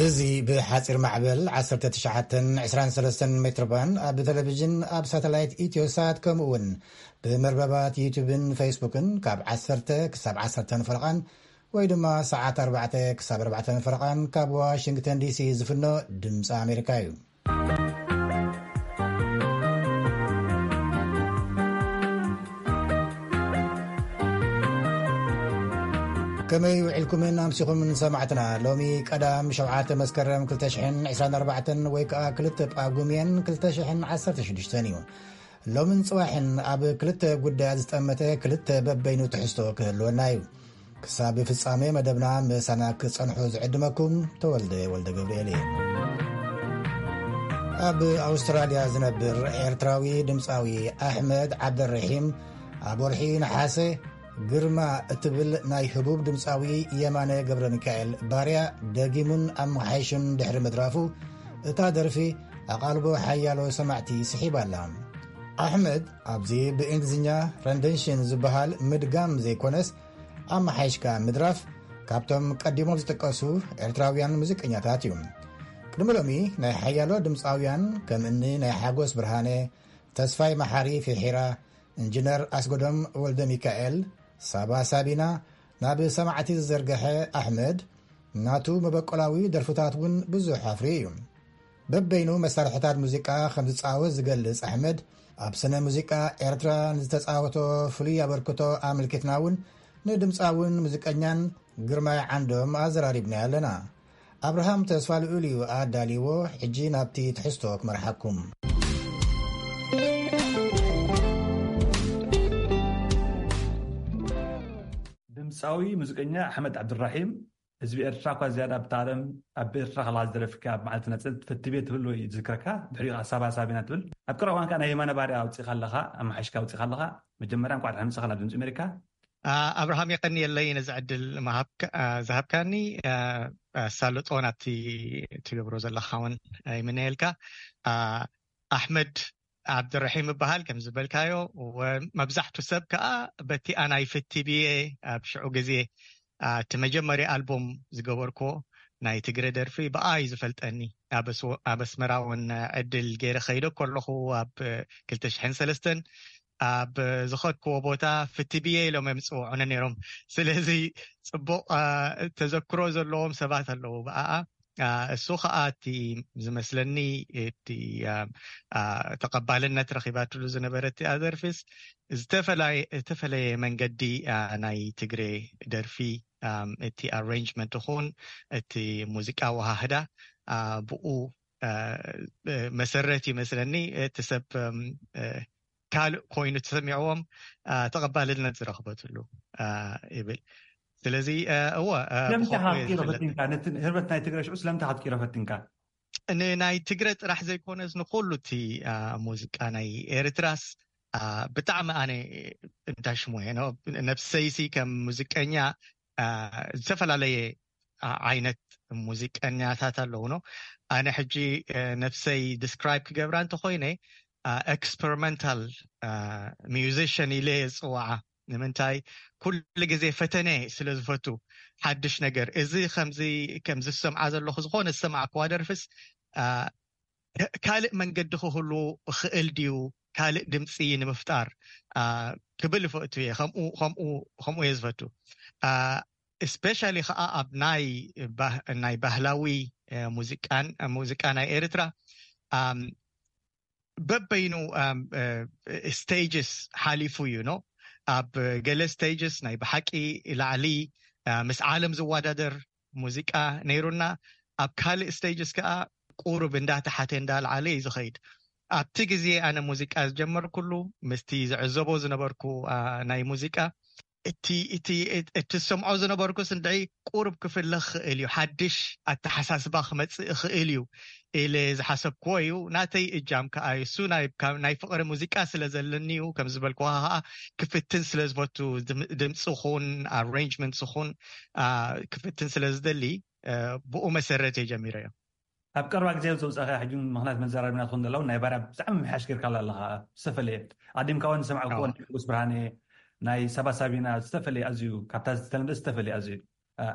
እዚ ብሓጺር ማዕበል ዓሰርተ ትሽዓተን ዕስራን ሰለስተን ሜትር ባንድ፣ ኣብ ቴሌቪዥን፣ ኣብ ሳተላይት ኢትዮሳት፣ ከምኡ እውን ብመርበባት ዩቱብን ፌስቡክን ካብ ዓሰርተ ክሳብ ዓሰርተ ፈረቓን ወይ ድማ ሰዓት ኣርባዕተ ክሳብ ኣርባዕተ ፈረቓን ካብ ዋሽንግተን ዲሲ ዝፍኖ ድምፂ ኣሜሪካ እዩ። ከመይ ውዒልኩምን ኣምሲኹምን ሰማዕትና? ሎሚ ቀዳም ሸውዓተ መስከረም ክልተ ሽሕን ዕስራን ኣርባዕተን ወይ ከዓ ክልተ ጳጉሜን ክልተ ሽሕን ዓሰርተ ሽዱሽተን እዩ። ሎምን ጽባሕን ኣብ ክልተ ጉዳያት ዝጠመተ ክልተ በበይኑ ትሕዝቶ ክህልወና እዩ። ክሳብ ፍጻሜ መደብና ምሳና ክጸንሑ ዝዕድመኩም ተወልደ ወልደ ገብርኤል እየ። ኣብ ኣውስትራልያ ዝነብር ኤርትራዊ ድምጻዊ ኣሕመድ ዓብደልረሒም ኣብ ወርሒ ነሓሰ ግርማ እትብል ናይ ህቡብ ድምጻዊ የማነ ገብረ ሚካኤል ባርያ ደጊሙን ኣመሓይሹን ድሕሪ ምድራፉ፣ እታ ደርፊ ኣቓልቦ ሓያሎ ሰማዕቲ ስሒባ ኣላ። ኣሕመድ ኣብዚ ብእንግሊዝኛ ረንደንሽን ዝበሃል ምድጋም ዘይኮነስ፣ ኣመሓይሽካ ምድራፍ ካብቶም ቀዲሞም ዝጥቀሱ ኤርትራውያን ሙዚቀኛታት እዩ። ቅድሚ ሎሚ ናይ ሓያሎ ድምፃውያን ከም እኒ ናይ ሓጎስ ብርሃነ፣ ተስፋይ መሓሪ ፊሒራ፣ ኢንጂነር ኣስገዶም ወልደ ሚካኤል፣ ሳባ ሳቢና ናብ ሰማዕቲ ዝዘርገሐ ኣሕመድ፣ ናቱ መበቆላዊ ደርፍታት እውን ብዙሕ ኣፍርዩ እዩ። በበይኑ መሳርሕታት ሙዚቃ ከም ዝጻወት ዝገልጽ ኣሕመድ፣ ኣብ ስነ ሙዚቃ ኤርትራ ንዝተጻወቶ ፍሉይ ኣበርክቶ ኣመልኪትና እውን ንድምጻውን ሙዚቀኛን ግርማይ ዓንዶም ኣዘራሪብና ኣለና። ኣብርሃም ተስፋ ልዑል እዩ ኣዳልይዎ። ሕጂ ናብቲ ትሕዝቶ ክመርሓኩም። ድምፃዊ ሙዚቀኛ ኣሕመድ ዓብድራሒም፣ ህዝቢ ኤርትራ እኳ ዝያዳ ኣብታ ዓለም፣ ኣብ ኤርትራ ከለኻ ዝደረፍካ ኣብ መዓልቲ ናጽነት ፈትቤ ትብል ወይ ዝዝክረካ፣ ድሕሪኡ ከኣ ሳባ ሳቢና ትብል። ኣብ ቀረባ እዋን ከኣ ናይ የማነ ባርያ ኣውጺእካ ኣለኻ፣ ኣመሓይሽካ ኣውጺእካ ኣለኻ። መጀመርያ እንኳዕ ደሓን መጻኻ ናብ ድምጺ ኣሜሪካ። ኣ፣ ኣብርሃም የቐንየለይ ነዚ ዕድል ምሃብካ-፣ ኣ፣ ዝሃብካኒ። ኣ፣ ኣሳልጦ ናብቲ ትገብሮ ዘለኻ እውን ይምነየልካ። ኣ፣ ኣሕመድ ዓብድረሒም እበሃል ከም ዝበልካዮ፣ ወ-፣ መብዛሕቱ ሰብ ከኣ በቲ ኣናይ ፍቲ ብየ ኣብ ሽዑ ግዜ፣ ኣ፣ እቲ መጀመርያ ኣልቡም ዝገበርክዎ ናይ ትግረ ደርፊ ብኣ እዩ ዝፈልጠኒ። ኣብ ኣስ-፣ ኣብ ኣስመራ እውን ዕድል ገይረ ኸይደ ከለኹ ኣብ ክልተ ሽሕን ሰለስተን ኣብ ዝኸድክዎ ቦታ ፍቲ ብየ ኢሎም እዮም ዝጽውዑኒ ነይሮም። ስለዚ ጽቡቕ፣ ኣ፣ ተዘክሮ ዘለዎም ሰባት ኣለዉ ብኣኣ። ኣ፣ እሱ ኸኣ እቲ ዝመስለኒ እቲ፣ ኣ፣ ኣ፣ ተቐባልነት ረኺባትሉ ዝነበረት እቲኣ ደርፊስ ዝተፈላየ-፣ ዝተፈለየ መንገዲ፣ ኣ፣ ናይ ትግሬ ደርፊ፣ ኣም፣ እቲ ኣሬንጅመንት ይኹን እቲ ሙዚቃ ኣወሃህዳ፣ ኣ፣ ብኡ፣ ኣ፣ መሰረት ይመስለኒ እቲ ሰብ፣ ኣም፣ እ፣ ካልእ ኮይኑ ተሰሚዕዎም፣ ኣ፣ ተቐባልነት ዝረኽበትሉ፣ ኣ፣ ይብል። ስለዚ፣ እ፣ እወ፣ እ፣ ስለምንታይ ብኸምኡ እየ ክትቅይሮ ዝፍለጥ። ፈቲንካ? ነቲ ህርበት ናይ ትግረ ሽዑ ስለምንታይ ክትቅይሮ ፈቲንካ? ንናይ ትግረ ጥራሕ ዘይኮነስ ንኹሉ እቲ፣ ኣ፣ ሙዚቃ ናይ ኤርትራስ፣ ኣ፣ ብጣዕሚ ኣነ እንዳሽሙየ ነው። ነብሰይሲ ከም ሙዚቀኛ፣ ኣ፣ ዝተፈላለየ፣ ኣ፣ ዓይነት ሙዚቀኛታት ኣለዉ ነው። ኣነ ሕጂ፣ እ፣ ነብሰይ ዲስክራይብ ክገብራ እንተኾይነ፣ ኣ፣ ኤክስፐሪመንታል፣ ኣ፣ ሚውዚሽን ኢለ እየ ዝጽውዓ። ንምንታይ ኩሉ ግዜ ፈተነ ስለ ዝፈቱ፣ ሓድሽ ነገር፣ እዚ ከምዚ፣ ከምዚ ዝሰምዓ ዘለኹ ዝኾነ ዝሰማዕክዋ ደርፍስ፣ ኣ፣ ካ-፣ ካልእ መንገዲ ክህሉ ይኽእል ድዩ? ካልእ ድምጺ ንምፍጣር፣ ኣ፣ ክብል ይፈቱ እየ። ከምኡ፣ ከምኡ፣ ከምኡ እየ ዝፈቱ። ኣ፣ እስፔሻሊ ኸኣ ኣብ ናይ ባህ-፣ ናይ ባህላዊ፣ እ፣ ሙዚቃን፣ ሙዚቃ ናይ ኤርትራ፣ ኣም፣ በበይኑ፣ ኣም፣ እ፣ ስቴጅስ ሓሊፉ እዩ፣ ኖ? ኣብ ገለ ስቴጅስ ናይ ብሓቂ ላዕሊ፣ እ፣ ምስ ዓለም ዝወዳደር ሙዚቃ ነይሩና። ኣብ ካልእ ስቴጅስ ከኣ ቁሩብ እንዳተሓተ እንዳልዓለ እዩ ዝኸይድ። ኣብቲ ግዜ ኣነ ሙዚቃ ዝጀመርኩሉ፣ ምስቲ ዝዕዘቦ ዝነበርኩ፣ ኣ፣ ናይ ሙዚቃ፣ እቲ፣ እቲ፣ እቲ ዝሰምዖ ዝነበርኩስ እንድዒ ቁሩብ ክፍለ ክኽእል እዩ፣ ሓድሽ ኣተሓሳስባ ክመጽእ ይኽእል እዩ ኢለ ዝሓሰብክዎ እዩ። ናተይ እጃም ከኣ እዩ። እሱ ናይ፣ ካብ ናይ ፍቕሪ ሙዚቃ ስለ ዘለኒ እዩ። ከም ዝበልክዋ ከኣ ክፍትን ስለ ዝፈቱ፣ ድም-፣ ድምጺ ኹን፣ ኣሬንጅመንትስ ኹን፣ ኣ፣ ክፍትን ስለ ዝደሊ፣ እ፣ ብኡ መሰረት እየ ጀሚረዮ። ኣብ ቀረባ ግዜ ዘውጻእካ ሕጂ ምኽንያት መዘራረብና ትኾን ዘለዉ ናይ ባርያ ብጣዕሚ ምሕያሽ ጌርካ ኣለኻ። ዝተፈለየ። ኣዲምካ እውን ዝሰማዕኩዎ ኣዎ። ናይ ንጉስ ብርሃነ፣ ናይ ሳባ ሳቢና ዝተፈለየ ኣዝዩ፣ ካብታ ዝተለምደ ዝተፈለየ ኣዝዩ።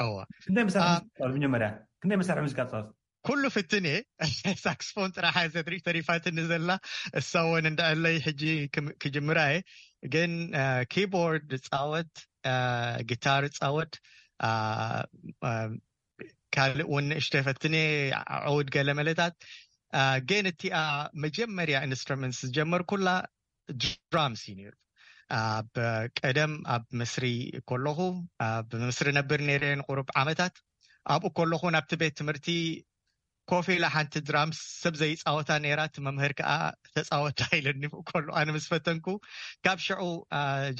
እዋ። ክንደይ መሳርሒ ሙዚቃ ትፃወት? መጀመርያ ክንደይ መሳርሒ ሙዚቃ ትፃወት? ኩሉ ፍትን እየ። ሳክስፎን ጥራሕ እያ ዘድሪ ተሪፋትኒ ዘላ። እሳ እውን እንድዕለይ ሕጂ ክም- ክጅምራ እየ። ግን ኪቦርድ እፃወት፣ ጊታር እፃወት፣ ካልእ እውን ንእሽተይ ፈትን እየ፣ ዕውድ ገለ መለታት። ግን እቲኣ መጀመርያ ኢንስትሩመንትስ ዝጀመርኩላ ድራምስ እዩ ነይሩ። ኣብ ቀደም ኣብ ምስሪ ከለኹ፣ ኣብ ምስሪ ነብር ነይረ ንቁሩብ ዓመታት። ኣብኡ ከለኹ ናብቲ ቤት ትምህርቲ ኮፍ ኢላ ሓንቲ ድራምስ ሰብ ዘይፃወታ ነይራ፣ እቲ መምህር ከዓ ተፃወታ ኢለኒ። ብኡ ከሎ ኣነ ምስ ፈተንኩ ካብ ሽዑ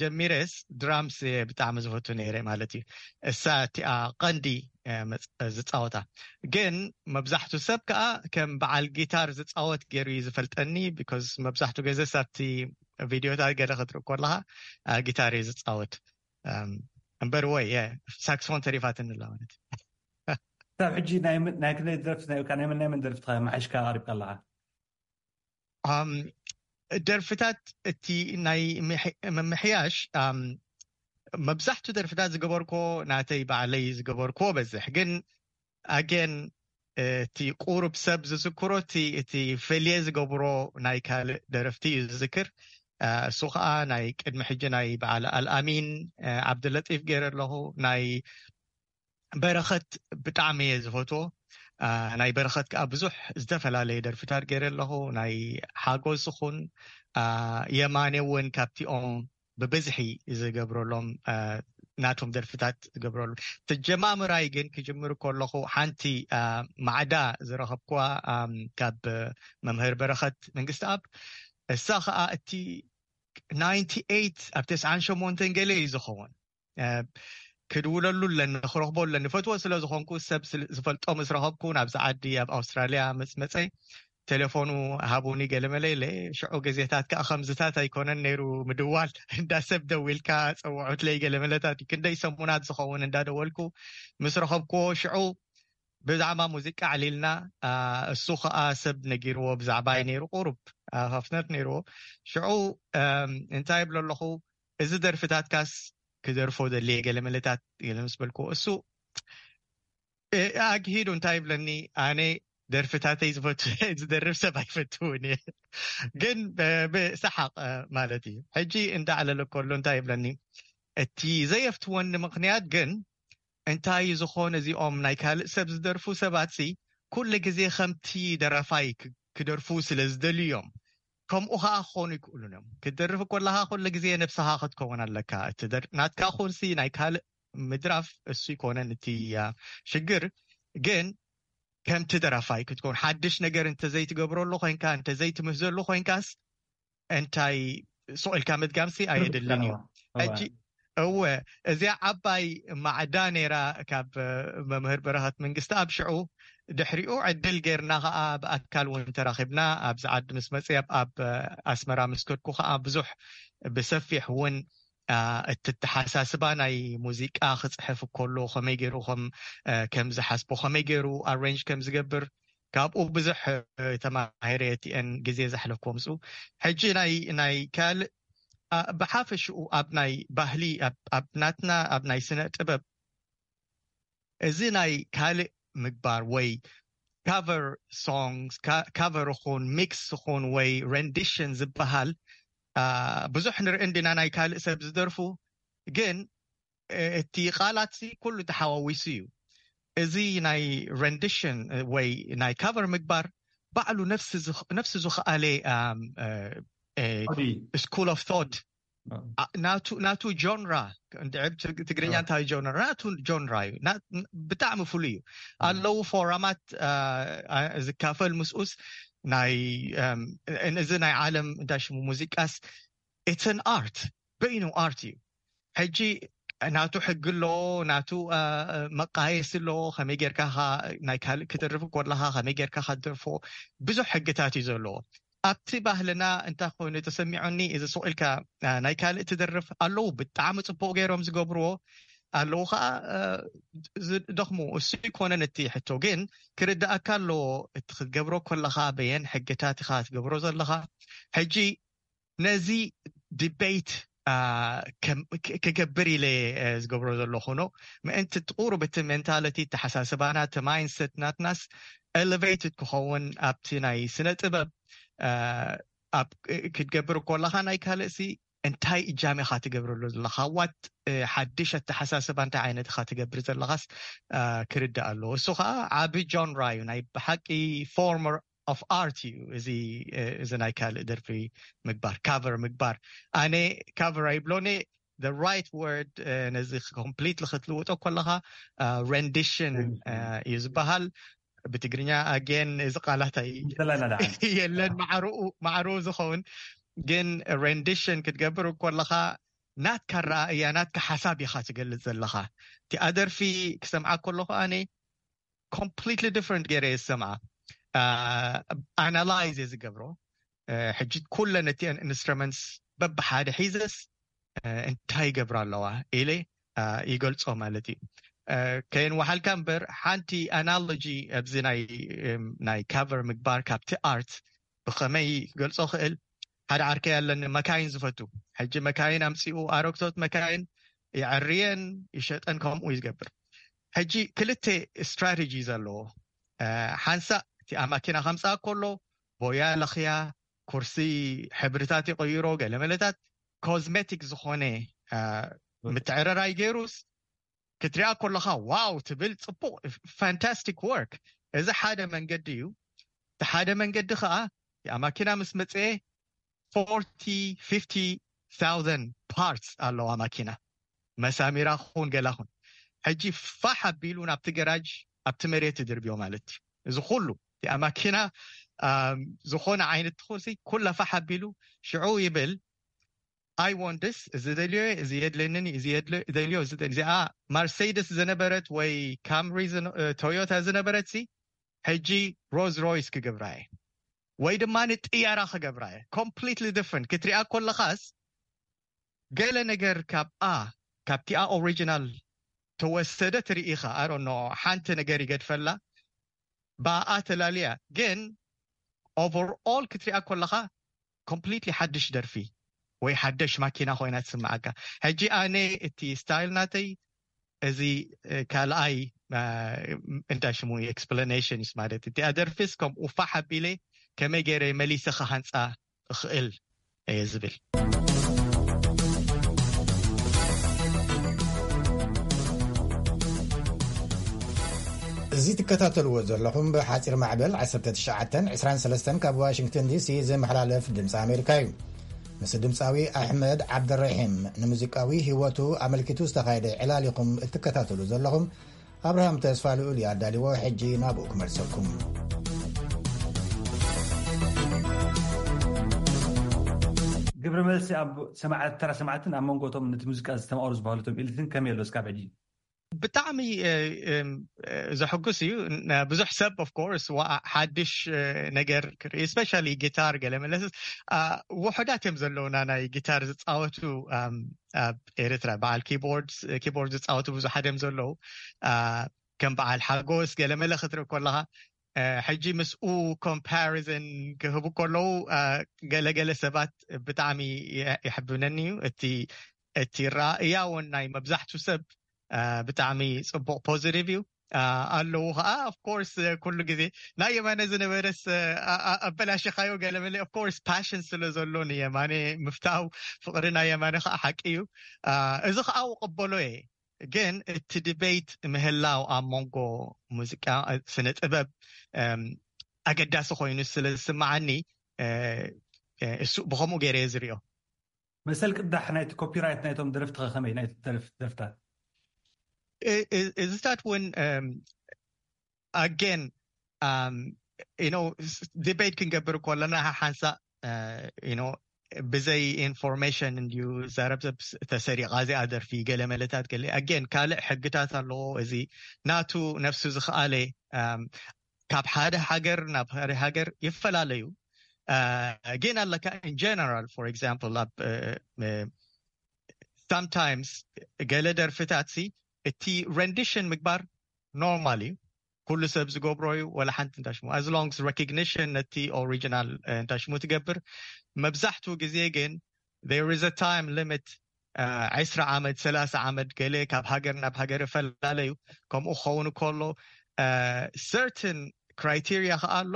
ጀሚረስ ድራምስ እየ ብጣዕሚ ዝፈቱ ነይረ ማለት እዩ። እሳ እቲኣ ቀንዲ ዝፃወታ። ግን መብዛሕቱ ሰብ ከዓ ከም በዓል ጊታር ዝፃወት ገይሩ እዩ ዝፈልጠኒ። ቢኮዝ መብዛሕቱ ገዘ ሳብቲ ቪድዮታት ገለ ክትርኢ ከለካ ጊታር እዩ ዝፃወት። እምበር ወይ ሳክስፎን ተሪፋትኒ ኣላ ማለት እዩ። ካብ ሕጂ ናይ ክንደይ ደርፍቲ ናይ ናይ መን ናይ መን ደርፍቲ መሓሽካ ኣቅሪብካ ኣለካ? ደርፍታት እቲ ናይ ምምሕያሽ መብዛሕቱ ደርፍታት ዝገበርኮ ናተይ ባዕለይ ዝገበርኮ በዝሕ። ግን ኣገን እቲ ቁሩብ ሰብ ዝዝክሮ እቲ እቲ ፈልየ ዝገብሮ ናይ ካልእ ደረፍቲ እዩ ዝዝክር። እሱ ከዓ ናይ ቅድሚ ሕጂ ናይ በዓል ኣልኣሚን ዓብድለጢፍ ገይረ ኣለኹ። ናይ በረኸት ብጣዕሚ እየ ዝፈትዎ። ናይ በረኸት ከዓ ብዙሕ ዝተፈላለየ ደርፍታት ገይረ ኣለኹ። ናይ ሓጎስ ይኹን የማኔ እውን ካብቲኦም ብብዝሒ ዝገብረሎም ናቶም ደርፍታት ዝገብረሉ። ተጀማምራይ ግን ክጅምር ከለኹ ሓንቲ ማዕዳ ዝረኸብኩዋ ካብ መምህር በረኸት መንግስቲ ኣብ እሳ ከዓ እቲ ናይንቲ ኤይት ኣብ ተስዓን ሸሞንተን ገለ እዩ ዝኸውን። ክድውለሉ ኣለኒ፣ ክረኽቦ ኣለኒ፣ ፈትዎ ስለ ዝኾንኩ ሰብ ዝፈልጦ ምስ ረኸብኩ ናብዚ ዓዲ ኣብ ኣውስትራልያ መፅመፀ ቴሌፎኑ ሃቡኒ ገለመለ ኢለ። ሽዑ ግዜታት ከዓ ከምዝታት ኣይኮነን ነይሩ ምድዋል። እንዳ ሰብ ደዊልካ ፀውዑትለይ ገለመለታት እዩ። ክንደይ ሰሙናት ዝኸውን እንዳደወልኩ ምስ ረኸብኩዎ ሽዑ ብዛዕባ ሙዚቃ ኣዕሊልና። እሱ ከዓ ሰብ ነጊርዎ ብዛዕባይ ነይሩ፣ ቁሩብ ሃፍነት ነይርዎ። ሽዑ እንታይ ይብሎ ኣለኹ፣ እዚ ደርፍታትካስ ክደርፎ ደልየ ገለመለታት ገለ ምስ በልኩዎ እሱ ኣግሂዱ እንታይ ይብለኒ፣ ኣነ ደርፍታተይ ዝፈቱ ዝደርፍ ሰብ ኣይፈትውን እየ። ግን ብሰሓቕ ማለት እዩ። ሕጂ እንዳዕለለ ከሎ እንታይ ይብለኒ፣ እቲ ዘየፍትወኒ ምኽንያት ግን እንታይ ዝኾነ እዚኦም ናይ ካልእ ሰብ ዝደርፉ ሰባት ሲ ኩሉ ግዜ ከምቲ ደራፋይ ክደርፉ ስለ ዝደልዩ እዮም። ከምኡ ከዓ ክኾኑ ይክእሉን እዮም። ክትደርፍ ከለካ ኩሉ ግዜ ነብስኻ ክትከውን ኣለካ። እቲ ናትካ ኩንሲ ናይ ካልእ ምድራፍ እሱ ይኮነን እቲ ሽግር። ግን ከምቲ ደራፋይ ክትከውን ሓድሽ ነገር እንተዘይትገብረሉ ኮይንካ እንተዘይትምህዘሉ ኮይንካስ እንታይ ሱቕ ኢልካ ምድጋምሲ ኣየድልን እዩ። ሕጂ እወ እዚኣ ዓባይ ማዕዳ ነይራ ካብ መምህር በረኸት መንግስቲ ኣብ ሽዑ ድሕሪኡ ዕድል ጌርና ከዓ ብኣካል እውን ተራኺብና ኣብዚ ዓዲ ምስ መፅያ ኣብ ኣስመራ ምስ ከድኩ ከዓ ብዙሕ ብሰፊሕ እውን እቲ ተሓሳስባ ናይ ሙዚቃ ክፅሕፍ ከሎ ከመይ ገይሩ ከም ከም ዝሓስቦ ከመይ ገይሩ ኣሬንጅ ከም ዝገብር ካብኡ ብዙሕ ተማሂረ እቲአን ግዜ ዘሕለፍኩ ምስኡ። ሕጂ ናይ ናይ ካልእ ብሓፈሽኡ ኣብ ናይ ባህሊ ኣብ ናትና ኣብ ናይ ስነ ጥበብ እዚ ናይ ካልእ ምግባር ወይ ካቨር ሶንግስ ካቨር ኹን ሚክስ ኹን ወይ ረንዲሽን ዝበሃል ብዙሕ ንርኢ እንዲና ናይ ካልእ ሰብ ዝደርፉ ግን እቲ ቃላት ኩሉ ተሓዋዊሱ እዩ። እዚ ናይ ረንዲሽን ወይ ናይ ካቨር ምግባር ባዕሉ ነፍሲ ዝኸኣለ ስኩል ኦፍ ቶት ናቱ ጆንራ እንድዕብ ትግርኛ እንታይ ጆንራ ናቱ ጆንራ እዩ። ብጣዕሚ ፍሉይ እዩ። ኣለዉ ፎራማት ዝካፈል ምስኡስ ናይ እዚ ናይ ዓለም እንታይ ሽሙ ሙዚቃስ ኢትስ ኣን ኣርት በይኑ ኣርት እዩ። ሕጂ ናቱ ሕጊ ኣሎ፣ ናቱ መቃየሲ ኣሎ። ከመይ ጌርካ ናይ ካልእ ክደርፍ ከለካ ከመይ ጌርካ ከደርፎ ብዙሕ ሕግታት እዩ ዘለዎ። ኣብቲ ባህልና እንታይ ኮይኑ ተሰሚዑኒ እዚ ሱቕ ኢልካ ናይ ካልእ ትደርፍ ኣለዉ ብጣዕሚ ፅቡቅ ገይሮም ዝገብርዎ ኣለዉ ከዓ ዝደኽሙ እሱ ይኮነን እቲ ሕቶ ግን ክርዳእካ ኣለዎ። እቲ ክትገብሮ ከለካ በየን ሕግታት ኢካ ትገብሮ ዘለካ። ሕጂ ነዚ ዲቤት ክገብር ኢለ ዝገብሮ ዘለኹ ነው። ምእንቲ ጥቁሩ ብቲ ሜንታሊቲ፣ ተሓሳስባና፣ እቲ ማይንድሰት ናትናስ ኤሌቬትድ ክኸውን፣ ኣብቲ ናይ ስነ ጥበብ ክትገብር ከለካ ናይ ካልእሲ እንታይ እጃም ኢካ ትገብረሉ ዘለካ፣ ዋት ሓድሽ ኣተሓሳስባ እንታይ ዓይነት ኢካ ትገብር ዘለካስ ክርዳእ ኣለዎ። እሱ ከዓ ዓቢ ጆንራ እዩ፣ ናይ ብሓቂ ፎርመር ኦፍ ኣርት እዩ። እዚ እዚ ናይ ካልእ ደርፊ ምግባር፣ ካቨር ምግባር፣ ኣነ ካቨር ኣይብሎን። The right word ነዚ ኮምፕሊትሊ ክትልውጦ ከለካ ሬንዲሽን እዩ ዝበሃል። ብትግርኛ ኣጌን እዚ ቃላት የለን ማዕርኡ ዝኸውን፣ ግን ሬንዲሽን ክትገብር ከለካ ናትካ ረኣእያ፣ ናትካ ሓሳብ ኢካ ትገልጽ ዘለካ። እቲኣ ደርፊ ክሰምዓ ከለኩ ኣነ ኮምፕሊትሊ ዲፍረንት ገይረ እየ ዝሰምዓ። ኣናላይዝ እየ ዝገብሮ። ሕጂ ኩለን እቲአን ኢንስትሩመንትስ በብሓደ ሒዘስ እንታይ ይገብራ ኣለዋ ኢለ ይገልጾ ማለት እዩ። ከየን ወሓልካ እምበር ሓንቲ ኣናሎጂ ኣብዚ ናይ ካቨር ምግባር ካብቲ ኣርት ብኸመይ ክገልጾ ክእል? ሓደ ዓርከይ ኣለኒ መካይን ዝፈቱ። ሕጂ መካይን ኣምጺኡ ኣረግቶት መካይን ይዕርየን ይሸጠን ከምኡ እዩ ዝገብር። ሕጂ ክልተ ስትራቴጂ ዘለዎ፣ ሓንሳእ እቲ ኣብ ማኪና ከምፅኣ ከሎ ቦያ ለኽያ፣ ኩርሲ ሕብርታት ይቕይሮ፣ ገለመለታት ኮዝሜቲክ ዝኾነ ምትዕርራይ ገይሩስ ክትሪኣ ከለኻ ዋው ትብል፣ ፅቡቅ፣ ፋንታስቲክ ወርክ። እዚ ሓደ መንገዲ እዩ። እቲ ሓደ መንገዲ ከዓ ኣብ ማኪና ምስ መፅአ ፎርቲ ፊፍቲ ታውዘንድ ፓርትስ ኣለዋ ማኪና፣ መሳሚራ ኹን ገላ ኹን። ሕጂ ፋሕ ኣቢሉ ናብቲ ገራጅ ኣብቲ መሬት ትድርብዮ ማለት እዩ። እዚ ኩሉ እቲኣ ማኪና ዝኾነ ዓይነት ትኹንሲ ኩላ ፋሕ ኣቢሉ ሽዑ ይብል፣ I want this፣ እዚ ደልዮ፣ እዚ የድለንን፣ እዚ ደልዮ፣ እዚ እዚኣ ማርሴይደስ ዝነበረት ወይ ካምሪ ቶዮታ ዝነበረት ሲ ሕጂ ሮዝ ሮይስ ክገብራ እየ ወይ ድማ ንጥያራ ክገብራ እየ። ኮምፕሊትሊ ዲፍረንት ክትሪኣ ከለኻስ ገለ ነገር ካብኣ ካብቲኣ ኦሪጂናል ተወሰደ ትርኢኻ። ኣሮኖ ሓንቲ ነገር ይገድፈላ ብኣ ተላልያ፣ ግን ኦቨርኦል ክትሪኣ ከለኻ ኮምፕሊትሊ ሓድሽ ደርፊ ወይ ሓደሽ ማኪና ኮይና ትስምዓካ። ሕጂ ኣነ እቲ ስታይል ናተይ እዚ ካልኣይ እንታይ ሽሙ ኤክስፕላኔሽን ማለት እቲኣ ደርፊስ ከምኡ ፋሕ ኣቢለ ከመይ ገይረ መሊሰ ክሃንፃ እኽእል እየ ዝብል። እዚ ትከታተልዎ ዘለኹም ብሓፂር ማዕበል ዓሰርተ ትሽዓተ ዕስራን ሰለስተን ካብ ዋሽንግተን ዲሲ ዝመሓላለፍ ድምፂ ኣሜሪካ እዩ። ምስ ድምፃዊ ኣሕመድ ዓብደረሒም ንሙዚቃዊ ህይወቱ ኣመልኪቱ ዝተኻየደ ዕላል ኢኹም እትከታተሉ ዘለኹም። ኣብርሃም ተስፋ ልኡል እዩ ኣዳልዎ። ሕጂ ናብኡ ክመልሰኩም። ግብረ መልሲ ኣብ ሰማዕት ተራ ሰማዕትን ኣብ መንጎቶም ነቲ ሙዚቃ ዝተማቐሩ ዝበሃሉቶም ኢልትን ከመይ ኣሎ እስካብ ሕጂ? ብጣዕሚ ዘሐጉስ እዩ። ብዙሕ ሰብ ኦፍ ኮርስ ሓድሽ ነገር ክርኢ፣ ስፔሻሊ ጊታር ገለ መለስ ውሑዳት እዮም ዘለውና ናይ ጊታር ዝፃወቱ ኣብ ኤርትራ። በዓል ኪቦርድ ኪቦርድ ዝፃወቱ ብዙሓት እዮም ዘለዉ። ከም በዓል ሓጎስ ገለ መለ ክትርኢ ከለካ ሕጂ ምስኡ ኮምፓሪዝን ክህቡ ከለዉ ገለገለ ሰባት ብጣዕሚ ይሕብነኒ እዩ። እቲ እቲ ራእያ እውን ናይ መብዛሕቱ ሰብ ብጣዕሚ ፅቡቅ ፖዚቲቭ እዩ። ኣለዉ ከዓ ኦፍኮርስ ኩሉ ግዜ ናይ የማነ ዝነበረስ ኣበላሽኻዮ ገለመለ ኦፍኮርስ ፓሽን ስለ ዘሎ ንየማነ ምፍታው ፍቅሪ ናይ የማነ ከዓ ሓቂ እዩ። እዚ ከዓ ውቅበሎ እየ። ግን እቲ ዲቤት ምህላው ኣብ መንጎ ሙዚቃ ስነ ጥበብ ኣገዳሲ ኮይኑ ስለ ዝስምዓኒ እሱ ብከምኡ ገይረ እየ ዝሪኦ። መሰል ቅዳሕ ናይቲ ኮፒራይት ናይቶም ደረፍቲ ከ ከመይ ናይቲ ደረፍታት? እዚታት እውን ኣጌን ዲቤት ክንገብር ከለና ሓንሳእ ብዘይ ኢንፎርሜሽን እንድዩ ዘረብዘብ ተሰሪቃ እዚኣ ደርፊ ገለ መለታት ገለ ኣጌን ካልእ ሕግታት ኣለዎ። እዚ ናቱ ነፍሱ ዝኸኣለ ካብ ሓደ ሃገር ናብ ሓደ ሃገር ይፈላለዩ። ግን ኣለካ in general for example ኣብ sometimes ገለ ደርፍታት ሲ እቲ ረንዲሽን ምግባር ኖርማል እዩ። ኩሉ ሰብ ዝገብሮ እዩ። ወላ ሓንቲ እንታይ ሽሙ as long as recognition ነቲ ኦሪጂናል እንታይ ሽሙ ትገብር። መብዛሕትኡ ግዜ ግን there is a time limit. ዕስራ ዓመት፣ ሰላሳ ዓመት፣ ገለ ካብ ሃገር ናብ ሃገር ይፈላለዩ። ከምኡ ክኸውን ከሎ certain criteria ከኣ ኣሎ፣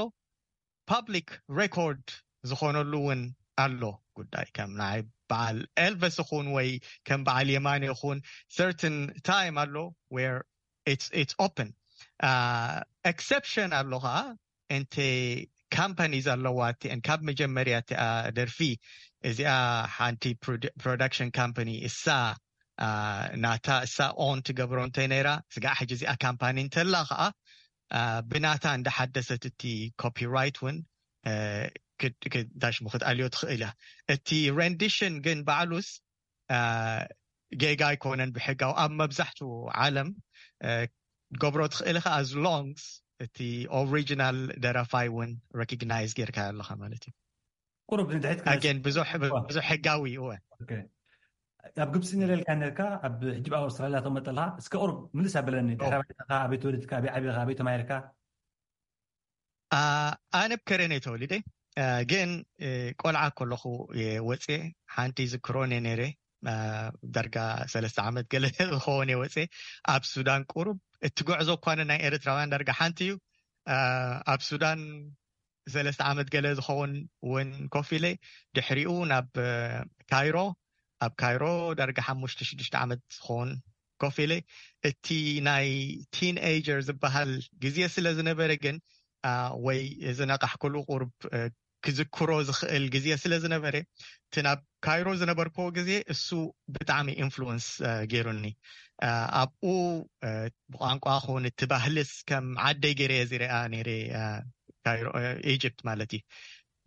public record ዝኾነሉ እውን ኣሎ። ጉዳይ ከም ናይ በዓል ኤልቨስ ይኹን ወይ ከም በዓል የማን ይኹን certain time ኣሎ where it's open። Exception ኣሎ ከዓ፣ እንቲ companies ኣለዋ እቲአን ካብ መጀመርያ እቲኣ ደርፊ እዚኣ ሓንቲ production company እሳ ናታ እሳ own ትገብሮ እንተ ነይራ፣ ስጋዕ ሕጂ እዚኣ ካምፓኒ እንተላ ከዓ ብናታ እንዳሓደሰት እቲ copyright እውን እንታይ ሽሙ ክትኣልዮ ትኽእል እያ። እቲ rendition ግን ባዕሉስ ጌጋ ኣይኮነን ብሕጋዊ ኣብ መብዛሕትኡ ዓለም ገብሮ ትኽእል ኢኻ፣ as long እቲ original ደራፋይ እውን recognize ጌርካ ኣለኻ ማለት እዩ። ቁሩብ ንድሕሪት ክመልስ- Again ብዙሕ ብዙሕ ሕጋዊ እዩ። ኦኬ። ኣብ ግብፂ ነለልካ ነርካ፣ ኣብ ሕጂ ኣብ ኣውስትራልያ ተመጠልካ፣ እስከ ቁሩብ ምልስ ኣበለኒ። ድሕሪ ባይታኻ፣ ኣበይ ተወለድካ፣ ኣበይ ዓቢኻ፣ ኣበይ ተማሂርካ? ኣነ ኣብ ከረን እየ ተወሊደ፣ ግን ቆልዓ ከለኹ እየ ወፅየ። ሓንቲ ዝክሮን እየ ነይረ፣ ዳርጋ ሰለስተ ዓመት ገለ ዝኸውን እየ ወፅየ። ኣብ ሱዳን ቁሩብ፣ እቲ ጉዕዞ እኳ ናይ ኤርትራውያን ዳርጋ ሓንቲ እዩ። ኣብ ሱዳን ሰለስተ ዓመት ገለ ዝኸውን እውን ኮፍ ኢለ፣ ድሕሪኡ ናብ ካይሮ፣ ኣብ ካይሮ ዳርጋ ሓሙሽተ ሽዱሽተ ዓመት ዝኸውን ኮፍ ኢለ። እቲ ናይ ቲንኤጀር ዝበሃል ግዜ ስለ ዝነበረ ግን ወይ ዝነቃሕኩሉ ቁሩብ ክዝክሮ ዝኽእል ግዜ ስለ ዝነበረ፣ እቲ ናብ ካይሮ ዝነበርክዎ ግዜ እሱ ብጣዕሚ ኢንፍሉወንስ ገይሩኒ። ኣብኡ ብቋንቋ ኹን እቲ ባህልስ ከም ዓደይ ገይረ እየ ዝሪኣ ነይረ፣ ኢጅፕት ማለት እዩ።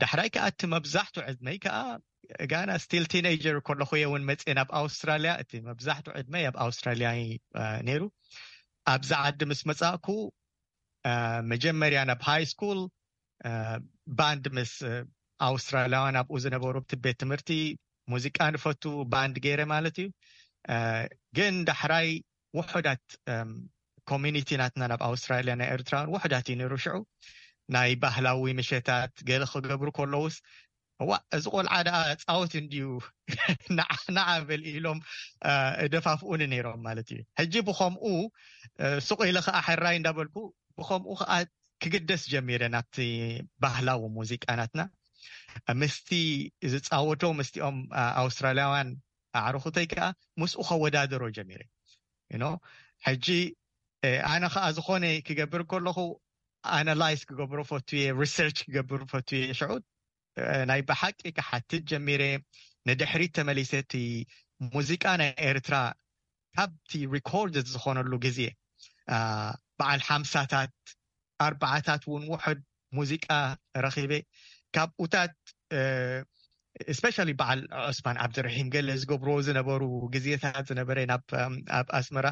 ዳሕራይ ከዓ እቲ መብዛሕቱ ዕድመይ ከዓ ጋና ስቲል ቲንኤጀር ከለኹ እየ እውን መፅየ ናብ ኣውስትራልያ። እቲ መብዛሕቱ ዕድመይ ኣብ ኣውስትራልያ ነይሩ። ኣብዚ ዓዲ ምስ መፃእኩ መጀመርያ ናብ ሃይ ስኩል ባንድ ምስ ኣውስትራልያውያን ኣብኡ ዝነበሩ እቲ ቤት ትምህርቲ ሙዚቃ ንፈቱ ባንድ ገይረ ማለት እዩ። ግን ዳሕራይ ውሑዳት ኮሚኒቲ ናትና ናብ ኣውስትራልያ ናይ ኤርትራውያን ውሑዳት እዩ ነይሩ። ሽዑ ናይ ባህላዊ ምሸታት ገለ ክገብሩ ከለውስ፣ እዋ እዚ ቆልዓ ደኣ ጻወት እንድዩ ንዓ በል ኢሎም እደፋፍኡኒ ነይሮም ማለት እዩ። ሕጂ ብኸምኡ ሱቕ ኢለ ኸዓ ሕራይ እንዳበልኩ ብኸምኡ ኸዓ ክግደስ ጀሚረ ናብቲ ባህላዊ ሙዚቃ ናትና። ምስቲ ዝጻወቶ ምስቲኦም ኣውስትራልያውያን ኣዕርኹተይ ከኣ ምስኡ ከወዳደሮ ጀሚረ። ሕጂ ኣነ ኸዓ ዝኾነ ክገብር ከለኹ ኣናላይዝ ክገብሮ ፈቱ እየ፣ ሪሰርች ክገብር ፈቱ እየ። ሽዑ ናይ ብሓቂ ክሓትት ጀሚረ። ንድሕሪት ተመሊሰ እቲ ሙዚቃ ናይ ኤርትራ ካብቲ ሪኮርድ ዝኾነሉ ግዜ በዓል ሓምሳታት ኣርባዓታት እውን ውሑድ ሙዚቃ ረኺበ። ካብኡታት ስፔሻሊ በዓል ዑስማን ዓብድርሒም ገለ ዝገብርዎ ዝነበሩ ግዜታት ዝነበረ ናብ ኣብ ኣስመራ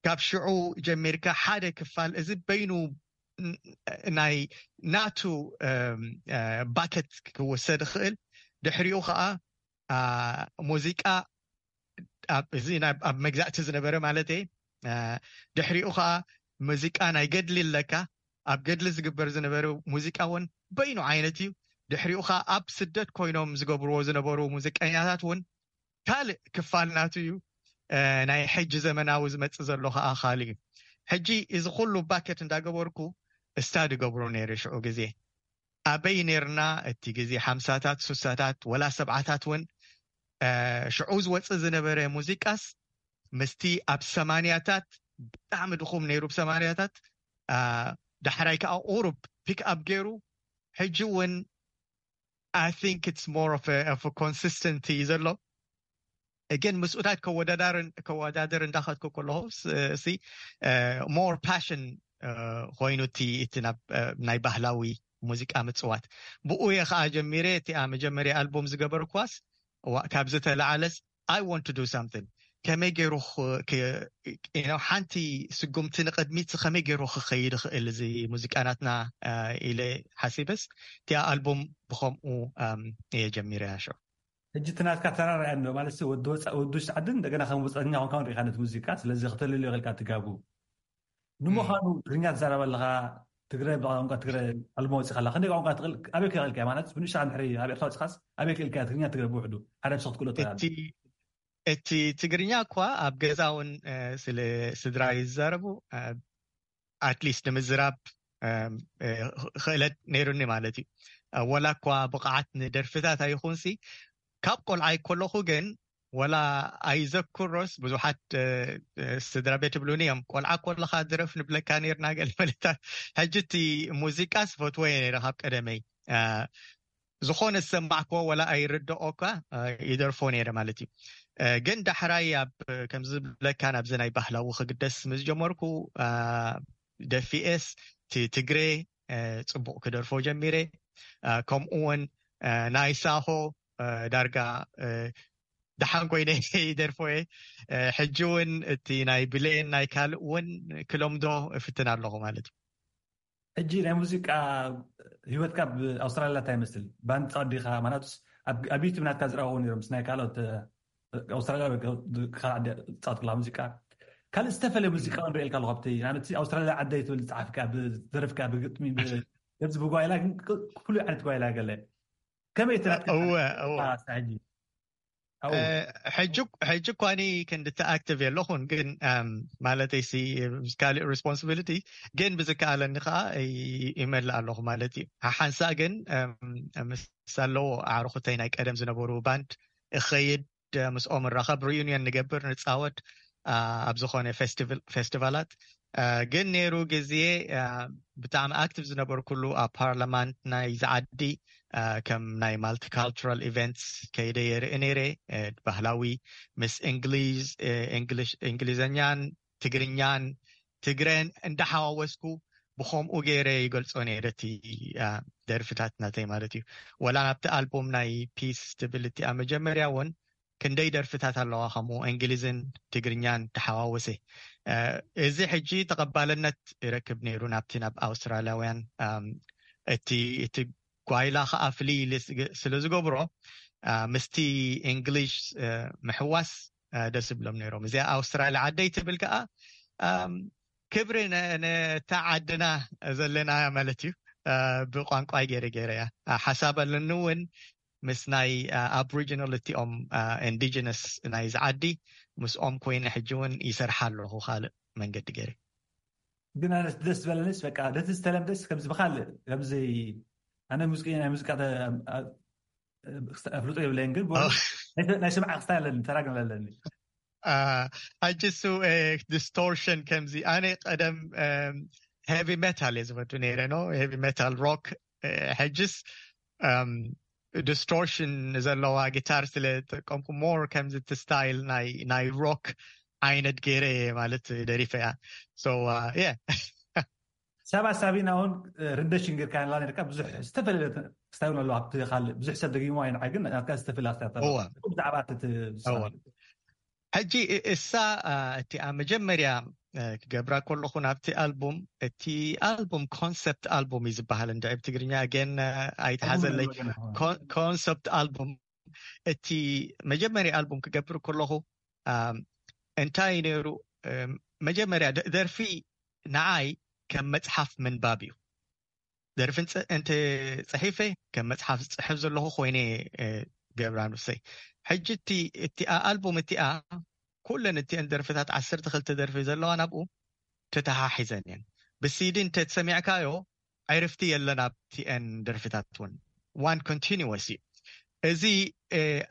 ካብ ሽዑ ጀሚርካ ሓደ ክፋል እዚ በይኑ ናይ ናቱ ባከት ክወሰድ ይኽእል። ድሕሪኡ ከዓ ሙዚቃ እዚ ኣብ መግዛእቲ ዝነበረ ማለት እየ። ድሕሪኡ ከዓ ሙዚቃ ናይ ገድሊ ኣለካ። ኣብ ገድሊ ዝግበር ዝነበረ ሙዚቃ እውን በይኑ ዓይነት እዩ። ድሕሪኡ ከዓ ኣብ ስደት ኮይኖም ዝገብርዎ ዝነበሩ ሙዚቀኛታት እውን ካልእ ክፋል ናቱ እዩ። ናይ ሕጂ ዘመናዊ ዝመፅእ ዘሎ ከዓ ካልእ እዩ። ሕጂ እዚ ኩሉ ባኬት እንዳገበርኩ ስታዲ ገብሮ ነይረ ሽዑ ግዜ። ኣበይ ነርና እቲ ግዜ ሓምሳታት ሱሳታት ወላ ሰብዓታት እውን ሽዑ ዝወፅእ ዝነበረ ሙዚቃስ ምስቲ ኣብ ሰማንያታት ብጣዕሚ ድኹም ነይሩ ብሰማንያታት። ዳሕራይ ከዓ ቁሩብ ፒክ ኣፕ ገይሩ ሕጂ እውን I think it's more of a, of a consistency ዘሎ። ግን ምስኡታት ከወዳደር እንዳኸድኩ ከለኹ ሲ more passion ኮይኑ እቲ እቲ ናይ ባህላዊ ሙዚቃ ምፅዋት። ብኡ እየ ከዓ ጀሚረ። እቲኣ መጀመርያ ኣልቡም ዝገበርኳስ ካብ ዝተለዓለስ I want to do something፣ ከመይ ገይሩ ሓንቲ ስጉምቲ ንቅድሚት ከመይ ገይሩ ክኸይድ ይኽእል እዚ ሙዚቃ ናትና ኢለ ሓሲበስ እቲኣ ኣልቡም ብኸምኡ እየ ጀሚረ። ያሾ ሕጂ እቲ ናትካ ተራራያ ኣሎ ማለት ወዲ ወፃ ወዲ ውሽጢ ዓዲ እንደገና ከም ወፃኛ ኮንካ ንሪኢካ ነቲ ሙዚቃ ስለዚ ክተልልዮ ክልካ ትጋቡ ንምዃኑ ትግርኛ ትዛረብ ኣለኻ? ትግረ ብቋንቋ ትግረ ዕልሞ ወፂኻ ኣላ። ክንደይ ቋንቋ ትኽእል? ኣበይ ክኽእልካ ማለት ብንሻ ንድሕሪ ኣብ ኤርትራ ወፂኻስ ኣበይ ክእልካ ትግርኛ ትግረ ብውሕዱ ሓደ ብሰ ክትክእሎ ትኽእል? እቲ እቲ ትግርኛ እኳ ኣብ ገዛ እውን ስለ ስድራ ይዛረቡ ኣትሊስት ንምዝራብ ክእለት ነይሩኒ ማለት እዩ። ወላ እኳ ብቕዓት ንደርፍታት ኣይኹንሲ ካብ ቆልዓይ ከለኹ ግን ወላ ኣይዘክሮስ ብዙሓት ስድራ ቤት ይብሉኒ እዮም፣ ቆልዓ ከለኻ ድረፍ ንብለካ ነርና ገለ መለታት። ሕጂ እቲ ሙዚቃ ስፈትዎ እየ ነረ ካብ ቀደመይ ዝኾነ ዝሰማዕክዎ ወላ ኣይርድኦ እኳ ይደርፎ ነይረ ማለት እዩ። ግን ዳሕራይ ኣብ ከምዚ ዝብለካ ናብዚ ናይ ባህላዊ ክግደስ ምስ ጀመርኩ ደፊኤስ ትግሬ ፅቡቕ ክደርፎ ጀሚረ። ከምኡ እውን ናይ ሳሆ ዳርጋ ደሓን ኮይነ ይደርፎ እየ። ሕጂ እውን እቲ ናይ ብሌን ናይ ካልእ እውን ክለምዶ እፍትን ኣለኹ ማለት እዩ። ሕጂ ናይ ሙዚቃ ህይወትካ ኣብ ኣውስትራልያ እንታይ ይመስል? ባንድ ፃወት ዲኻ? ማለትስ ኣብ ዩቱብ ናትካ ዝረኣኹ ነይሮም ምስ ናይ ካልኦት ኣውስትራልያ ፃወት ክላ ሙዚቃ ካልእ ዝተፈለየ ሙዚቃ ንሪኤልካ ኣለኹ። ኣብቲ ንኣብነት ኣውስትራልያ ዓደይ ትብል ዝፀሓፍካ ብደረፍካ ብግጥሚ ደብዚ ብጓይላ ግን ፍሉይ ዓይነት ጓይላ ገለ ከመይ ትረክብ? ሕጂ እኳኒ ክንድቲ ኣክቲቭ የለኹን ግን ማለት ሲ ካልእ ሪስፖንሲቢሊቲ ግን ብዝከኣለኒ ከዓ ይመልእ ኣለኹ ማለት እዩ። ሓሓንሳ ግን ምስ ኣለዎ ኣዕርኹተይ ናይ ቀደም ዝነበሩ ባንድ እኸይድ ምስኦም ንራኸብ ሪዩኒየን ንገብር ንፃወት ኣብ ዝኾነ ፌስቲቫላት ግን ነይሩ ግዜ ብጣዕሚ ኣክቲቭ ዝነበርኩሉ ኣብ ፓርላማንት ናይ ዝዓዲ ከም ናይ ማልቲካልቸራል ኢቨንትስ ከይደ የርኢ ነይረ። ባህላዊ ምስ እንግሊዝ እንግሊዘኛን ትግርኛን ትግረን እንዳሓዋወስኩ ብኸምኡ ገይረ ይገልጾ ነይረ እቲ ደርፍታት ናተይ ማለት እዩ። ወላ ናብቲ ኣልቡም ናይ ፒስ ትብል እቲኣ መጀመርያ እውን ክንደይ ደርፍታት ኣለዋ ከምኡ እንግሊዝን ትግርኛን ተሓዋወሰ። እዚ ሕጂ ተቐባልነት ይረክብ ነይሩ ናብቲ ናብ ኣውስትራልያውያን እቲ እቲ ጓይላ ከዓ ፍልይ ስለ ዝገብሮ ምስቲ እንግሊሽ ምሕዋስ ደስ ይብሎም ነይሮም። እዚኣ ኣውስትራልያ ዓደይ ትብል ከዓ ክብሪ ነታ ዓድና ዘለናያ ማለት እዩ። ብቋንቋይ ገይረ ገይረ እያ ሓሳብ ኣለኒ እውን ምስ ናይ ኣብሪጂናል እቲኦም ኢንዲጂነስ ናይ ዝዓዲ ምስኦም ኮይነ ሕጂ እውን ይሰርሓ ኣለኹ ካልእ መንገዲ ገይረ። ግን ኣነ ደስ ዝበለንስ በቃ ደቲ ዝተለምደስ ከምዚ ብካልእ ከምዚ ኣነ ሙዚቀኛ ናይ ሙዚቃ ኣፍልጦ የብለይን ግን ናይ ስምዓ ክስታይ ኣለኒ ተራግም ኣለኒ። ሕጂ እሱ ዲስቶርሽን ከምዚ ኣነ ቀደም ሄቪ ሜታል እየ ዝፈቱ ነይረ ኖ ሄቪ ሜታል ሮክ። ሕጅስ ዲስቶርሽን ዘለዋ ጊታር ስለ ዝጥቀምኩ ሞር ከምዚ እቲ ስታይል ናይ ሮክ ዓይነት ገይረ ማለት ደሪፈ እያ። ሳባ ሳቢና እውን ሪንደሽን ጌርካ ላ ነርካ ብዙሕ ዝተፈላለየ ስታይል ኣለዋ ኣብቲ ካልእ ብዙሕ ሰብ ደጊሞ ኣይንዓ ግን ናትካ ዝተፈላለያ ብዛዕባ ሕጂ እሳ እቲኣ መጀመርያ ክገብራ ከለኹ ናብቲ ኣልቡም እቲ ኣልቡም ኮንሰፕት ኣልቡም እዩ ዝበሃል እንድዒ ብትግርኛ ግን ኣይተሓዘለይ። ኮንሰፕት ኣልቡም እቲ መጀመርያ ኣልቡም ክገብር ከለኹ እንታይ ነይሩ መጀመርያ ደርፊ ንዓይ ከም መፅሓፍ ምንባብ እዩ። ደርፊ እንተ ፅሒፈ ከም መፅሓፍ ዝፅሕፍ ዘለኹ ኮይነ ገብራ ንሰይ። ሕጂ እቲ እቲኣ ኣልቡም እቲኣ ኩለን እቲአን ደርፍታት ዓሰርተ ክልተ ደርፊ ዘለዋ ናብኡ ተተሓሒዘን እየን። ብሲዲ እንተ ተሰሚዕካዮ ዕርፍቲ የለን ኣብቲአን ደርፍታት እውን ዋን ኮንቲኒወስ እዩ። እዚ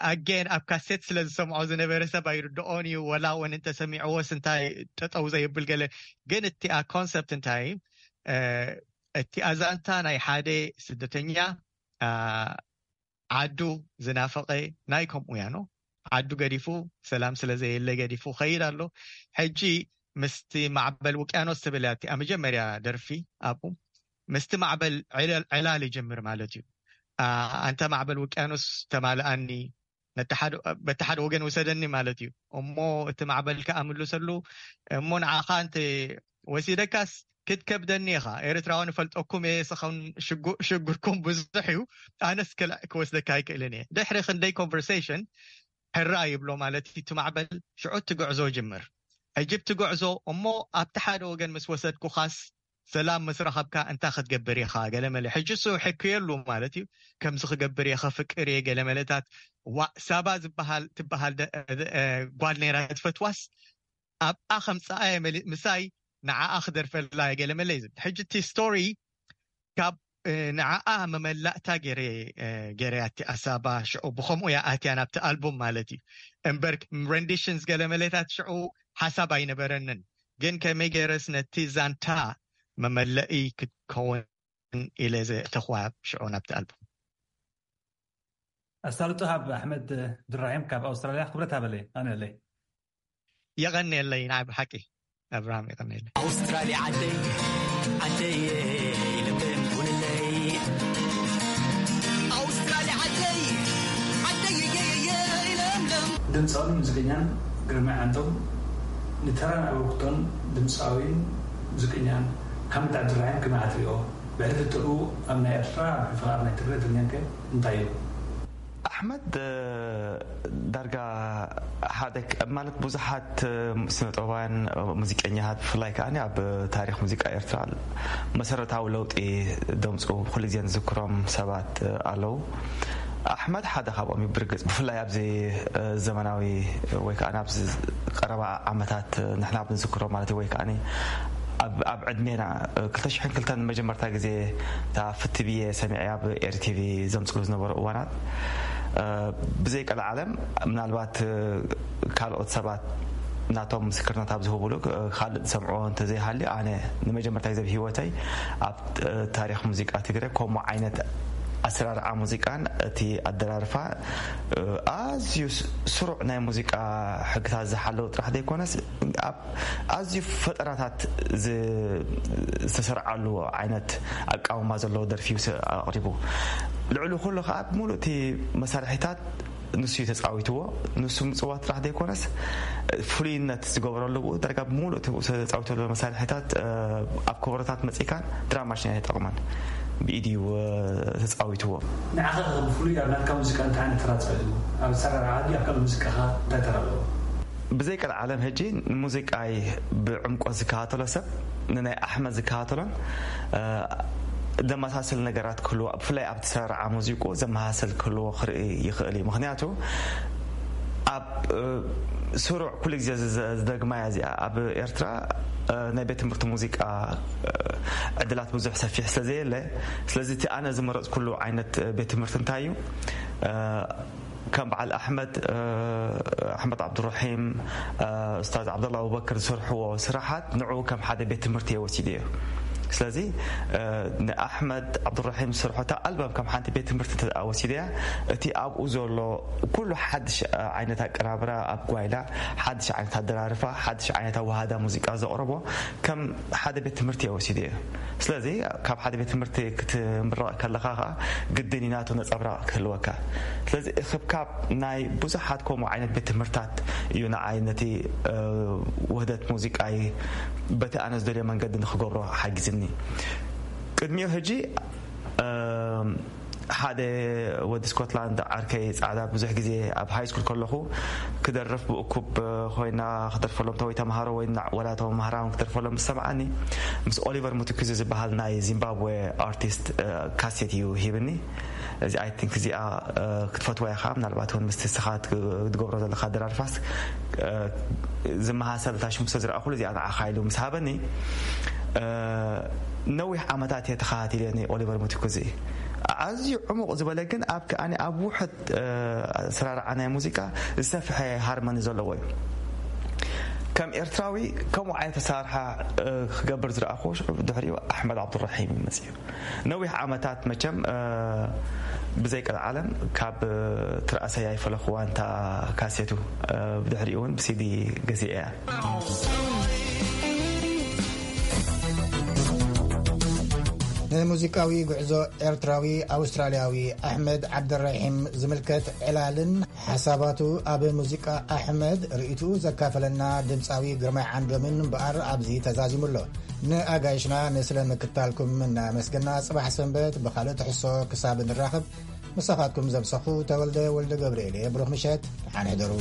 ኣጌን ኣብ ካሴት ስለ ዝሰምዖ ዝነበረ ሰብ ኣይርድኦን እዩ። ወላ እውን እንተሰሚዕዎስ እንታይ ጠጠው ዘየብል ገለ ግን እቲኣ ኮንሰፕት እንታይ እቲ ኣዛንታ ናይ ሓደ ስደተኛ ዓዱ ዝናፈቐ ናይ ከምኡ ያኖ ዓዱ ገዲፉ ሰላም ስለ ዘየለ ገዲፉ ከይድ ኣሎ። ሕጂ ምስቲ ማዕበል ውቅያኖስ ትብል እያ እቲኣ መጀመርያ ደርፊ ኣብኡ ምስቲ ማዕበል ዕላል ይጀምር ማለት እዩ። ኣንተ ማዕበል ውቅያኖስ ተማልኣኒ በቲ ሓደ ወገን ውሰደኒ ማለት እዩ። እሞ እቲ ማዕበል ከዓ ምልሰሉ እሞ ንዓኻ እንተ ወሲደካስ ክትከብደኒ ኢኻ። ኤርትራዊ ንፈልጠኩም እየ፣ ስኹም ሽጉርኩም ብዙሕ እዩ፣ ኣነስ ክወስደካ ኣይክእልን እየ። ድሕሪ ክንደይ ኮንቨርሴሽን ሕራ ይብሎ ማለት እዩ። እቲ ማዕበል ሽዑ እቲ ጉዕዞ ይጅምር። ሕጂ እቲ ጉዕዞ እሞ ኣብቲ ሓደ ወገን ምስ ወሰድኩኻስ ሰላም ምስ ረኸብካ እንታይ ክትገብር ኢኻ? ገለ መለ። ሕጂ እሱ ሕክየሉ ማለት እዩ። ከምዚ ክገብር እየ፣ ከፍቅር እየ፣ ገለ መለታት። ዋ፣ ሳባ ዝበሃል፣ ትበሃል ደ-፣ እ፣ ጓል ነይራ ትፈትዋስ፣ ኣብኣ ከምጽኣ እየ መሊ-፣ ምሳይ ንዓኣ ክደርፈላ እየ፣ ገለ መለ እዩ ዝብል። ሕጂ እቲ ስቶሪ ካብ፣ እ፣ ንዓኣ መመላእታ ገይረ፣ እ፣ ገይረያ እቲ ኣሳባ ሽዑ ብኸምኡ እያ ኣትያ ናብቲ ኣልቡም ማለት እዩ። እምበር ረንዲሽንስ ገለ መለታት ሽዑ ሓሳብ ኣይነበረንን። ግን ከመይ ገይረስ ነቲ ዛንታ መመለኢ ክትከውን ኢለ ዘእተኹዋ ሽዑ ናብቲ ኣልቡም። ኣሳልጦ ሃብ ኣሕመድ ድራሂም ካብ ኣውስትራልያ። ክብረት ሃበለይ፣ ኣነለይ። የቐንየለይ፣ ናይ ብሓቂ ኣብርሃም፣ የቐንየለይ። ኣውስትራልያ ዓደይ፣ ዓደይ፣ ለምለም ኩንለይ። ኣውስትራልያ ዓደይ፣ ዓደይ፣ ለምለም። ድምፃውን ሙዚቀኛን ግርማይ ዓንዶም ንተራን ኣበርክቶን ድምፃዊን ሙዚቀኛን ሓምድ ዓብዱራሂም ከመይ ትሪኦ? ብሕልፍትኡ ኣብ ናይ ኤርትራ፣ ኣብ ሕልፊ ኣብ ናይ ትግራይ ትግርኛን ከ እንታይ እዩ? ኣሕመድ፣ እ፣ ዳርጋ ሓደ ክ-፣ ማለት ብዙሓት፣ እ፣ ስነጥበባውያን፣ እ፣ ሙዚቀኛታት ብፍላይ ከኣ ኣብ ታሪኽ ሙዚቃ ኤርትራ መሰረታዊ ለውጢ ደምፁ ኩሉ ግዜ ንዝክሮም ሰባት፣ እ፣ ኣለዉ። ኣሕመድ ሓደ ካብኦም እዩ ብርግጽ፣ ብፍላይ ኣብዚ፣ እ፣ ዘመናዊ ወይ ከኣ ኣብዚ ቀረባ ዓመታት፣ እ፣ ንሕና ኣብ ንዝክሮ ማለት እዩ፣ ወይ ከኣ ኣብ፣ ኣብ ዕድሜና፣ እ፣ ክልተ ሽሕን ክልተን መጀመርታ ግዜ እታ ፍትብየ ሰሚዐያ ኣብ ኤሪ ቲቪ ዘምጽሉ ዝነበሩ እዋናት፣ እ፣ ብዘይ ቀልዓለም ምናልባት፣ እ፣ ካልኦት ሰባት ናቶም ምስክርነት ኣብ ዝህብሉ፣ እ፣ ካልእ ዝሰምዕዎ እንተዘይሃልዩ፣ ኣነ ንመጀመርታ ግዜ ኣብ ህይወተይ ኣብ፣ እ፣ ታሪኽ ሙዚቃ ትግረ ከምኡ ዓይነት ኣሰራርዓ ሙዚቃን እቲ ኣደራርፋ፣ እ፣ ኣዝዩ ስ-፣ ስሩዕ ናይ ሙዚቃ ሕግታት ዝሓለወ ጥራሕ ዘይኮነስ ኣብ ኣዝዩ ፈጠራታት ዝ-፣ ዝተሰርዓሉ ዓይነት ኣቃውማ ዘለዎ ደርፊ እዩ ስ-፣ ኣቕሪቡ። ልዕሊ ኩሉ ከዓ ብምሉእ እቲ መሳርሒታት ንሱ እዩ ተጻዊትዎ። ንሱ ምጽዋት ጥራሕ ዘይኮነስ ፍሉይነት ዝገበረሉ ብኡ ደረጃ ብምሉእ እቲ ተጻዊቱ ዘሎ መሳርሒታት፣ እ፣ ኣብ ከበሮታት መጺእካ ድራም ማሽን ኣይተጠቕመን። ብኢድ እዩ፣ እ፣ ተጻዊትዎ። ንዓኻ ብፍሉይ ኣብ ናትካ ሙዚቃ እንታይ ዓይነት ተራ ተጻዊትዎ? ኣብ ኣሰራርዓ ድዩ ኣብ ካልእ ሙዚቃኻ እንታይ ተራ ኣለዎ? ብዘይ ቀልዓለም ሕጂ ንሙዚቃይ ብዕምቆት ዝከታተሎ ሰብ፣ ንናይ ኣሕመድ ዝከታተሎን፣ እ፣ ዘመሳስል ነገራት ክህልዎ፣ ብፍላይ ኣብቲ ሰራርዓ ሙዚቁ ዘመሳሰል ክህልዎ ክርኢ ይኽእል እዩ። ምኽንያቱ ኣብ፣ እ፣ ስሩዕ ኩሉ ግዜ ዝ-፣ ዝ-፣ ዝደግማያ እዚኣ፣ ኣብ ኤርትራ፣ እ፣ ናይ ቤት ትምህርቲ ሙዚቃ፣ እ፣ ዕድላት ብዙሕ ሰፊሕ ስለ ዘየለ፣ ስለዚ እቲ ኣነ ዝመረጽኩሉ ዓይነት፣ እ፣ ቤት ትምህርቲ እንታይ እዩ? እ፣ ከም በዓል ኣሕመድ፣ እ፣ ኣሕመድ ዓብዱራሒም፣ እ፣ ኡስታዝ ዓብደላ ኣቡበክር ዝሰርሕዎ ስራሓት ንዕኡ ከም ሓደ ቤት ትምህርቲ እየ ወሲደዮ። ስለዚ፣ እ፣ ንኣሕመድ ዓብዱራሒም ዝሰርሖ እታ ኣልበም ከም ሓንቲ ቤት ትምህርቲ እንተ ደኣ ወሲደያ፣ እቲ ኣብኡ ዘሎ ኩሉ ሓድሽ፣ እ፣ ዓይነት ኣቀናብራ ኣብ ጓይላ፣ ሓድሽ ዓይነት ኣደራርፋ፣ ሓድሽ ዓይነት ኣወሃህዳ ሙዚቃ ዘቕረቦ ከም ሓደ ቤት ትምህርቲ እየ ወሲደዮ። ስለዚ ካብ ሓደ ቤት ትምህርቲ ክትምረቕ ከለኻ ኸኣ ግድን እዩ ናቱ ነጸብራቕ ክህልወካ። ስለዚ እኽብካብ ናይ ብዙሓት ከምኡ ዓይነት ቤት ትምህርታት እዩ ንዓይ ነቲ፣ እ፣ ውህደት ሙዚቃይ በቲ ኣነ ዝደልዮ መንገዲ ንኽገብሮ ሓጊዝኒ። ቅድሚኡ ሕጂ፣ እ፣ ሓደ ወዲ ስኮትላንድ ዓርከይ ጻዕዳ ብዙሕ ግዜ ኣብ ሃይ ስኩል ከለኹ ክደርፍ ብእኩብ ኮይና ክደርፈሎም፣ ተወይ ተምሃሮ ወይ ና-፣ ወላ ተምሃራውን ክደርፈሎም ምስ ሰምዓኒ፣ ምስ ኦሊቨር ሙቱኩዚ ዝበሃል ናይ ዚምባብዌ ኣርቲስት፣ እ፣ ካሴት እዩ ሂብኒ። እዚ ኣይ ቲንክ እዚኣ፣ እ፣ ክትፈትዋ ኢኻ፣ ምናልባት እውን ምስቲ ንስኻ ትግ-፣ ትገብሮ ዘለኻ ደራርፋስ፣ እ፣ ዝመሳሰል እታ ሽሙ ስለ ዝረኣኹሉ እዚኣ ንዓኻ ኢሉ ምስ ሃበኒ፣ እ፣ ነዊሕ ዓመታት እየ ተኸታቲለ ናይ ኦሊቨር ሙቱኩዚ። ኣዝዩ ዕሙቕ ዝበለ ግን ኣብ ከኣኒ ኣብ ውሕድ፣ እ፣ ኣሰራርዓ ናይ ሙዚቃ ዝሰፍሐ ሃርመኒ ዘለዎ እዩ። ከም ኤርትራዊ ከምኡ ዓይነት ኣሰራርሓ፣ እ፣ ክገብር ዝረኣኹ ሽዑ ድሕሪኡ ኣሕመድ ዓብዱራሒም እዩ መጺኡ። ነዊሕ ዓመታት መቸም፣ እ፣ ብዘይ ቀልዓለም ካብ፣ እ፣ ትርኣሰይ ኣይፈለኽዋን እታ ካሴቱ፣ እ፣ ብድሕሪኡ እውን ብሲዲ ገዚአ እያ። ንሙዚቃዊ ጉዕዞ ኤርትራዊ ኣውስትራልያዊ ኣሕመድ ዓብደራሒም ዝምልከት ዕላልን ሓሳባቱ፣ ኣብ ሙዚቃ ኣሕመድ ርእይትኡ ዘካፈለና ድምፃዊ ግርማይ ዓንዶምን እምበኣር ኣብዚ ተዛዚሙ ኣሎ። ንኣጋይሽና ንስለ ምክታልኩም እናመስገና፣ ጽባሕ ሰንበት ብኻልእ ትሕዝቶ ክሳብ ንራኸብ፣ ምሳኻትኩም ዘምሰኹ ተወልደ ወልደ ገብርኤል እየ። ብሩኽ ምሸት፣ ደሓን ሕደሩ።